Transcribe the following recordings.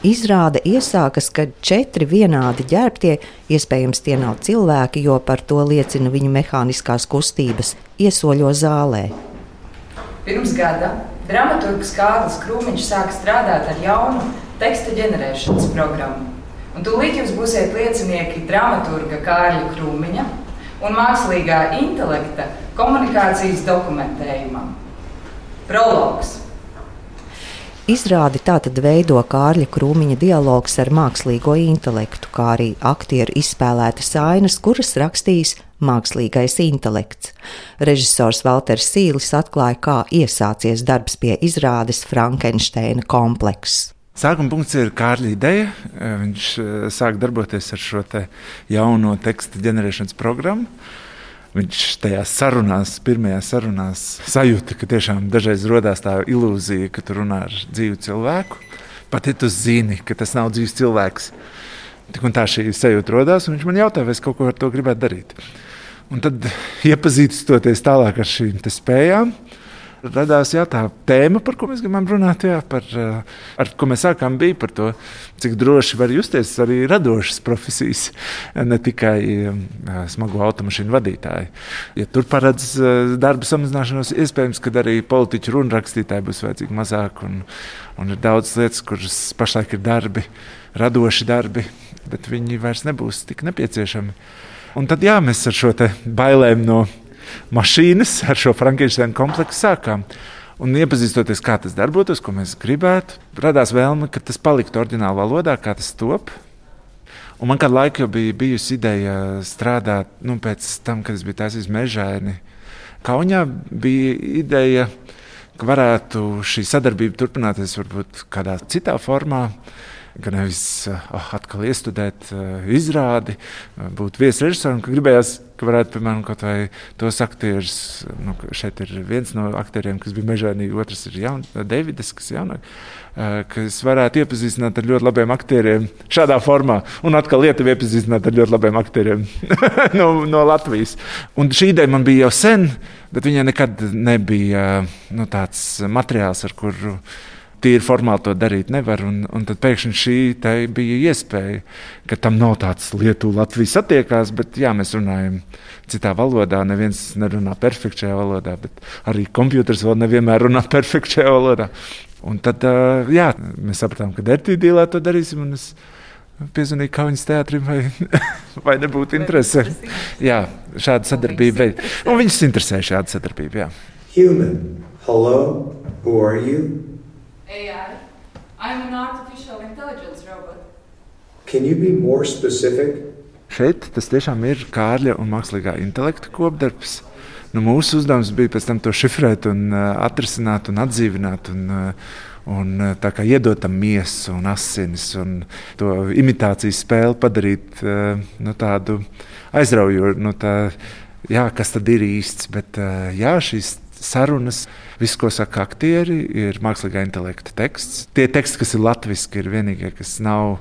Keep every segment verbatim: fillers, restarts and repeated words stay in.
Izrāde iesākas, kad četri vienādi ģērbtie, iespējams tie nav cilvēki, jo par to liecina viņu mehāniskās kustības, iesoļo zālē. Pirms gada dramaturgs Kārlis Krūmiņš sāk strādāt ar jaunu teksta ģenerēšanas programmu. Un tūlīt jūs būsiet liecinieki dramaturga Kārļa Krūmiņa un mākslīgā intelekta komunikācijas dokumentējumam. Prologs. Izrādi tātad veido Kārļa Krūmiņa dialogs ar mākslīgo intelektu, kā arī aktieru izspēlētas ainas, kuras rakstījis mākslīgais intelekts. Režisors Valters Sīlis atklāja, kā iesācies darbs pie izrādes Frankensteina komplekss. Sākuma punkts ir Kārļa ideja. Viņš sāk darboties ar šo te jauno teksta ģenerēšanas programmu. Viņš tajās sarunās, pirmajās sarunās sajūta, ka tiešām dažreiz rodās tā ilūzija, ka tu runā ar dzīvu cilvēku. Pat ja tu zini, ka tas nav dzīvs cilvēks. Tik un tā šī sajūta rodās, un viņš man jautā, vai es kaut ko ar to gribētu darīt. Un tad iepazīstoties tālāk ar šīm te spējām, radās jā, tā tēma, par ko mēs gribam runāt, jā, par, ar ko mēs sākām bija par to, cik droši var justies arī radošas profesijas, ne tikai smago automašīnu vadītāji. Ja tur paredz darba samazināšanos, iespējams, ka arī politiķu runrakstītāji būs vajadzīgi mazāk, un, un ir daudz lietas, kuras pašlaik ir darbi, radoši darbi, bet viņi vairs nebūs tik nepieciešami. Un tad jā, mēs ar šo te bailēm no mašīnas, ar šo Frankensteina kompleksu sākām. Un iepazīstoties, kā tas darbotos, ko mēs gribētu, radās vēlme, ka tas paliktu oriģināla valodā, kā tas top. Un man kādu laiku jau bija bijusi ideja strādāt, nu, pēc tam, kad es biju taisījis Mežaini. Kaunijā bija ideja, ka varētu šī sadarbība turpināties varbūt kādā citā formā, ka nevis oh, atkal iestudēt uh, izrādi, būt viesrežisoram, ka gribējās, ka varētu, piemēram, kaut vai tos aktierus, nu, šeit ir viens no aktieriem, kas bija Mežainī, otrs ir jaun, Davids, kas ir jaunāk, uh, kas varētu iepazīstināt ar ļoti labiem aktieriem šādā formā, un atkal Lietuvi iepazīstināt ar ļoti labiem aktieriem no, no Latvijas. Un šī ideja man bija jau sen, bet viņai nekad nebija nu, tāds materiāls, ar kuru tīri formāli to darīt nevar, un, un tad pēkšņi šī te bija iespēja, ka tam nav tāds Lietuva-Latvija satiekās, bet jā, mēs runājam citā valodā, neviens nerunā perfekti šajā valodā, bet arī kompjuters vēl nevienmēr runā perfekti šajā valodā. Un tad, jā, mēs sapratām, ka Dertīdīlā to darīsim, un es piezvanīju Kaunas teātrim, vai, vai nebūtu interese. Jā, šāda sadarbība. Un viņus interesē šāda sadarbība, jā. Human, hello, who are you? A I. I'm an artificial intelligence robot. Can you be more specific? Šeit tas tiešām ir Kārļa un mākslīgā intelekta kopdarbs. Nu, mūsu uzdevums bija pēc tam to šifrēt un uh, atrisināt un atdzīvināt un, uh, un uh, tā kā iedot tam miesu un asinis un to imitācijas spēli padarīt uh, nu, tādu aizraujošu, nu, tā, jā, kas tad ir īsts, bet uh, jā, šīs sarunas, viss, ko saka aktieri, ir mākslīgā intelekta teksts. Tie teksti, kas ir latviski, ir vienīgie, kas nav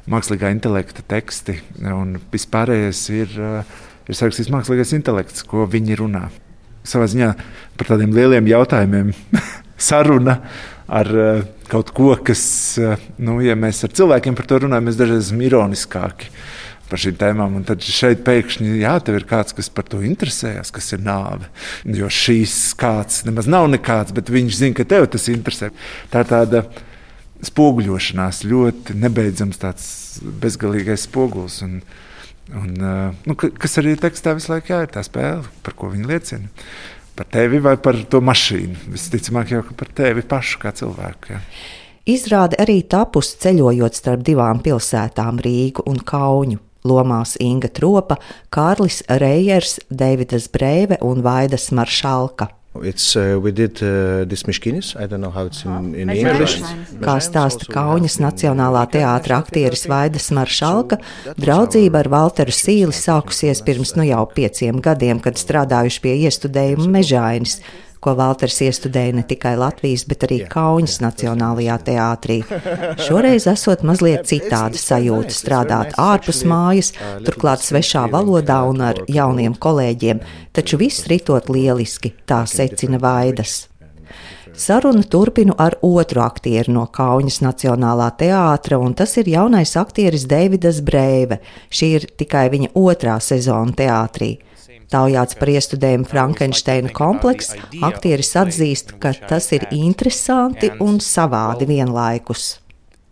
mākslīgā intelekta teksti, un vispārējais ir, ir sarakstījis mākslīgais intelekts, ko viņi runā. Savā ziņā par tādiem lieliem jautājumiem saruna ar kaut ko, kas, nu, ja mēs ar cilvēkiem par to runājam, mēs dažreiz esam ironiskāki par šīm tēmām, un tad šeit pēkšņi, jā, tev ir kāds, kas par to interesējas, kas ir nāve, jo šīs kāds nemaz nav nekāds, bet viņš zina, ka tev tas interesē. Tā ir tāda spoguļošanās, ļoti nebeidzams tāds bezgalīgais spogulis, un, un, nu, kas arī tekstā visu laiku jā, ir tā spēle, par ko viņi liecina. Par tevi vai par to mašīnu, visticamāk jau par tevi pašu kā cilvēku, jā. Izrāde arī tapusi ceļojot starp divām pilsētām Rīgu un Kaunu. Lomās Inga Tropa, Kārlis Reijers, Deividas Breive un Vaidas Maršalka. It's, uh, we did, uh, this Miškinis. I don't know how it's in, in English. Kā stāsta Kaunas Nacionālā teātra aktieris Vaidas Maršalka, draudzība ar Valteru Sīli sākusies pirms nu jau pieciem gadiem, kad strādājuši pie iestudējuma Mežainis, ko Valters iestudēja ne tikai Latvijas, bet arī Kaunas Nacionālajā teātrī. Šoreiz esot mazliet citāda sajūta strādāt ārpus mājas, turklāt svešā valodā un ar jauniem kolēģiem, taču viss ritot lieliski, tā secina Vaidas. Sarunu turpinu ar otru aktieru no Kaunas Nacionālā teātra, un tas ir jaunais aktieris Deivids Breive. Šī ir tikai viņa otrā sezona teātrī. Taujāts par iestudējumu Frankensteina komplekss, aktieris atzīst, ka tas ir interesanti un savādi vienlaikus.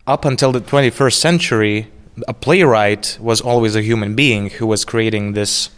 Up until the twenty-first century, a playwright was always a human being who was creating this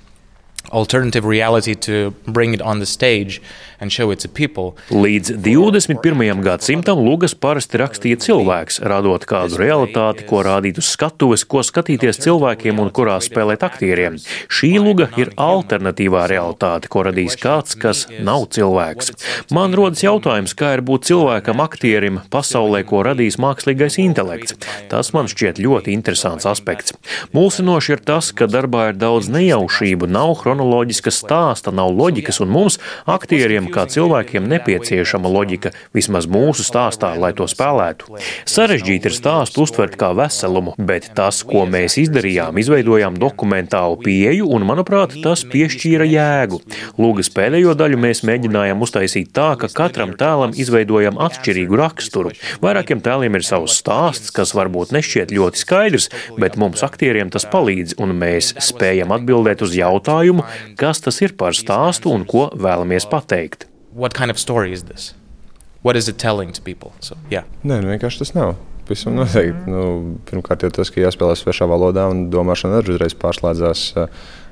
alternative reality to bring it on the stage and show it to people. Līdz divdesmit pirmajam gadsimtam lugas parasti rakstīja cilvēks, radot kādu realitāti, ko rādīt uz skatuves, ko skatīties cilvēkiem un kurā spēlēt aktieriem. Šī luga ir alternatīvā realitāte, ko radīs kāds, kas nav cilvēks. Man rodas jautājums, kā ir būt cilvēkam aktierim pasaulē, ko radīs mākslīgais intelekts. Tas man šķiet ļoti interesants aspekts. Mulsinoši ir tas, ka darbā ir daudz nejaušību, nav chronoloģiska stāsta, nav loģikas, un mums, aktieriem, kā cilvēkiem, nepieciešama loģika, vismaz mūsu stāstā, lai to spēlētu. Sarežģīti ir stāstu uztvert kā veselumu, bet tas, ko mēs izdarījām, izveidojām dokumentālu pieeju, un, manuprāt, tas piešķīra jēgu. Lūgas pēdējo daļu mēs mēģinājām uztaisīt tā, ka katram tēlam izveidojam atšķirīgu raksturu. Vairākiem tēliem ir savs stāsts, kas varbūt nešķiet ļoti skaidrs, bet mums aktieriem tas palīdz, un mēs spējam atbildēt uz jautājumu, kas tas ir par stāstu un ko vēlamies pateikt. What kind of story is this? What is it telling to people? So, yeah. Nē, nu vienkārši tas nav. Visam noteikti. Nu, pirmkārt jau tas, ka jāspēlē svešā valodā un domāšana arī uzreiz pārslēdzās uh,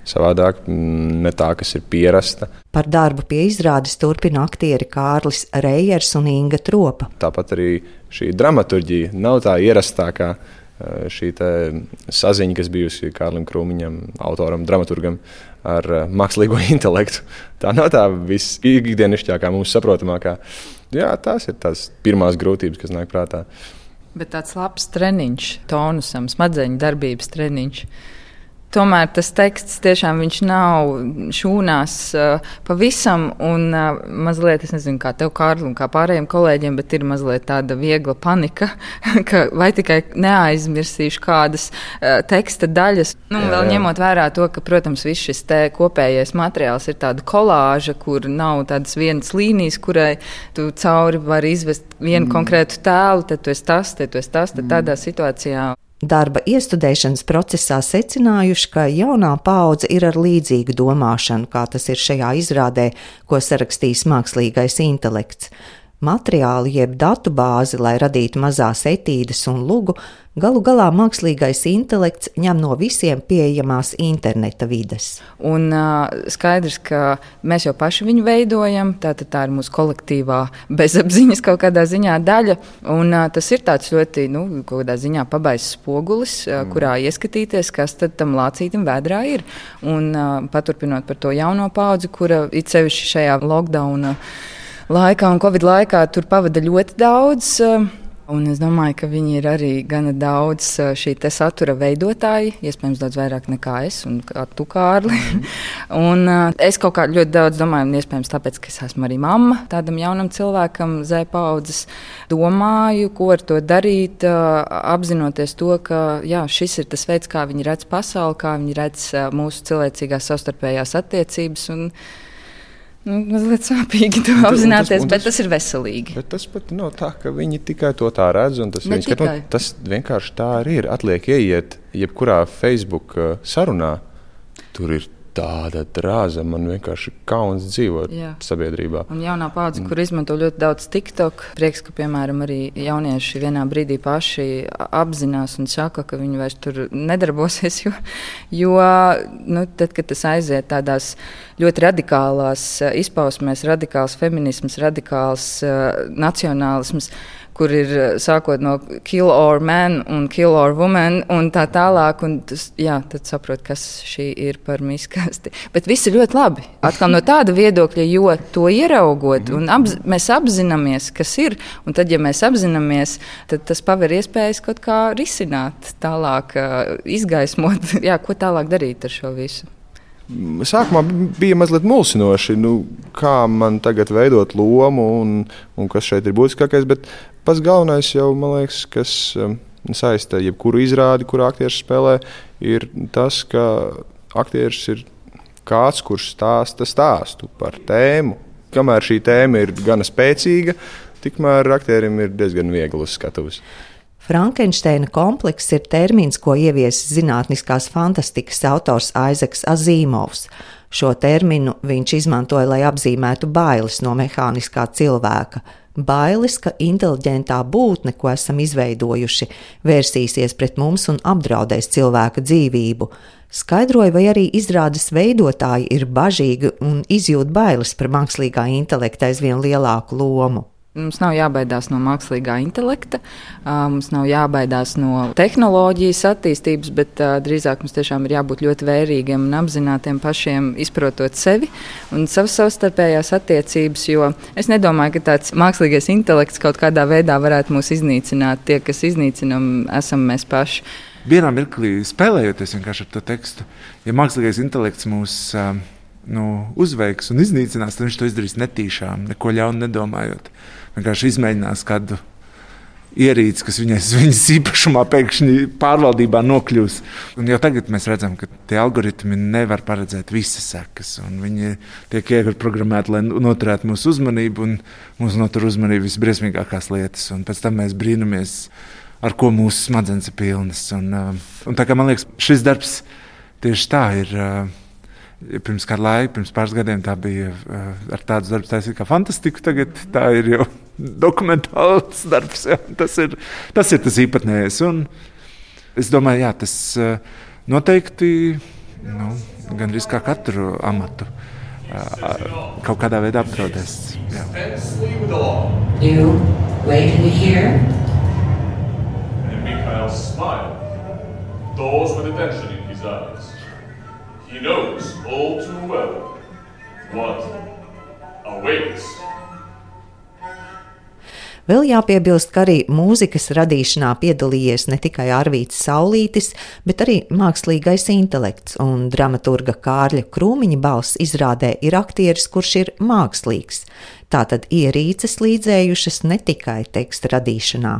savādāk, ne tā, kas ir pierasta. Par darbu pie izrādes turpina aktieri Kārlis Reijers un Inga Tropa. Tāpat arī šī dramaturģija nav tā ierastākā. Šī saziņa, kas bijusi Kārlim Krūmiņam, autoram, dramaturgam ar mākslīgo intelektu. Tā nav tā visikdienišķākā, mums saprotamākā. Jā, tās ir tās pirmās grūtības, kas nāk prātā. Bet tāds labs treniņš, tonusam, smadzeņu darbības treniņš. Tomēr tas teksts tiešām viņš nav šūnās uh, pavisam un uh, mazliet, es nezinu, kā tev, Kārli, un kā pārējiem kolēģiem, bet ir mazliet tāda viegla panika, ka vai tikai neaizmirsīšu kādas uh, teksta daļas. Nu, jā, vēl jā. Ņemot vērā to, ka, protams, viss šis te kopējais materiāls ir tāda kolāža, kur nav tādas vienas līnijas, kurai tu cauri vari izvest vienu mm. konkrētu tēlu, tad tu esi tas, tad tu esi tas, tad tādā situācijā. Darba iestudēšanas procesā secinājuši, ka jaunā paudze ir ar līdzīgu domāšanu, kā tas ir šajā izrādē, ko sarakstījis mākslīgais intelekts. Materiāli jeb datu bāzi, lai radītu mazās etīdes un lugu, galu galā mākslīgais intelekts ņem no visiem pieejamās interneta vides. Un uh, skaidrs, ka mēs jau paši viņu veidojam, tātad tā ir mūsu kolektīvā bezapziņas kaut kādā ziņā daļa, un uh, tas ir tāds ļoti, nu, kaut kādā ziņā pabaiss spogulis, uh, mm. kurā ieskatīties, kas tad tam lācītam vēdrā ir. Un uh, paturpinot par to jauno paudzi, kura it sevišķi šajā lockdowna laikā un Covid laikā tur pavada ļoti daudz, un es domāju, ka viņi ir arī gana daudz šī te satura veidotāji, iespējams daudz vairāk nekā es un kā tu, Kārli. Mm. un es kaut kā ļoti daudz domāju, un iespējams tāpēc, ka es esmu arī mamma tādam jaunam cilvēkam, Z paudzes, domāju, ko ar to darīt, apzinoties to, ka jā, šis ir tas veids, kā viņi redz pasauli, kā viņi redz mūsu cilvēcīgās savstarpējās attiecības, un Nu, mazliet sāpīgi to apzināties, tas, bet tas, tas ir veselīgi. Bet tas pat nav tā, ka viņi tikai to tā redz, un tas, viņas, ka, tas vienkārši tā arī ir. Atliek ieiet jebkurā Facebook sarunā, tur ir tāda drāza, man vienkārši kauns dzīvot Jā. Sabiedrībā. Un jaunā paudze, kur izmanto ļoti daudz TikTok, prieks, ka, piemēram, arī jaunieši vienā brīdī paši apzinās un saka, ka viņi vairs tur nedarbosies, jo, jo nu, tad, kad tas aiziet tādās ļoti radikālās izpausmēs, radikāls feminisms, radikāls uh, nacionālisms, kur ir sākot no kill or man un kill or woman un tā tālāk, un tas, jā, tad saprot, kas šī ir par miskasti. Bet viss ir ļoti labi. Atkal no tāda viedokļa, jo to ieraugot, un apz, mēs apzināmies, kas ir, un tad, ja mēs apzināmies, tad tas paver iespējas kaut kā risināt tālāk, izgaismot, jā, ko tālāk darīt ar šo visu. Sākumā bija mazliet mulsinoši, nu, kā man tagad veidot lomu un, un kas šeit ir būtiskākais, bet pats galvenais jau, man liekas, kas um, saista jebkuru izrādi, kur aktieris spēlē, ir tas, ka aktieris ir kāds, kurš stāsta stāstu par tēmu. Kamēr šī tēma ir gana spēcīga, tikmēr aktierim ir diezgan viegli uz skatuves. Frankensteina komplekss ir termins, ko ieviesis zinātniskās fantastikas autors Aizeks Azīmovs. Šo terminu viņš izmantoja, lai apzīmētu bailes no mehāniskā cilvēka. Bailes, ka inteliģentā būtne, ko esam izveidojuši, vērsīsies pret mums un apdraudēs cilvēka dzīvību. Skaidroja, vai arī izrādes veidotāji ir bažīgi un izjūt bailes par mākslīgā intelekta aizvien lielāku lomu. Mums nav jābaidās no mākslīgā intelekta, mums nav jābaidās no tehnoloģijas attīstības, bet drīzāk mums tiešām ir jābūt ļoti vērīgiem un apzinātiem pašiem, izprotot sevi un savas savstarpējās attiecības, jo es nedomāju, ka tāds mākslīgais intelekts kaut kādā veidā varētu mūs iznīcināt. Tie, kas iznīcinam, esam mēs paši. Vienā mirklī spēlējoties vienkārši ar to tekstu, ja mākslīgais intelekts mūs nu, uzveiks un iznīcinās, tad viņš to izdarīs netīšām, neko ļaunu nedomājot. Vienkārši izmēģinās kādu ierīci, kas viņai, viņas īpašumā pēkšņi pārvaldībā nokļūs. Un jau tagad mēs redzam, ka tie algoritmi nevar paredzēt visas sekas. Viņi tiek ieprogrammēti, lai noturētu mūsu uzmanību, un mūsu notur uzmanību visbriesmīgākās lietas. Un pēc tam mēs brīnamies, ar ko mūsu smadzenes ir pilnas. Un, un tā kā man liekas, šis darbs tieši tā ir. Pirms kādu laiku, pirms pāris gadiem tā bija ar tādu darbu taisīt kā fantastiku, tagad tā ir jau dokumentāls darbs. Jā. Tas ir, tas ir tas īpatnējais. Un es domāju, jā, tas noteikti nu, gandrīz kā katru amatu kaut kādā veidā apdraudēs. Jā. You waiting here? And Mikhail smiled. Those with attention in his eyes. He knows all too well what awaits. Vēl jāpiebilst, ka arī mūzikas radīšanā piedalījies ne tikai Arvīts Saulītis, bet arī mākslīgais intelekts, un dramaturga Kārļa Krūmiņa balss izrādē ir aktieris, kurš ir mākslīgs. Tātad ierīces līdzējušas ne tikai teksta radīšanā.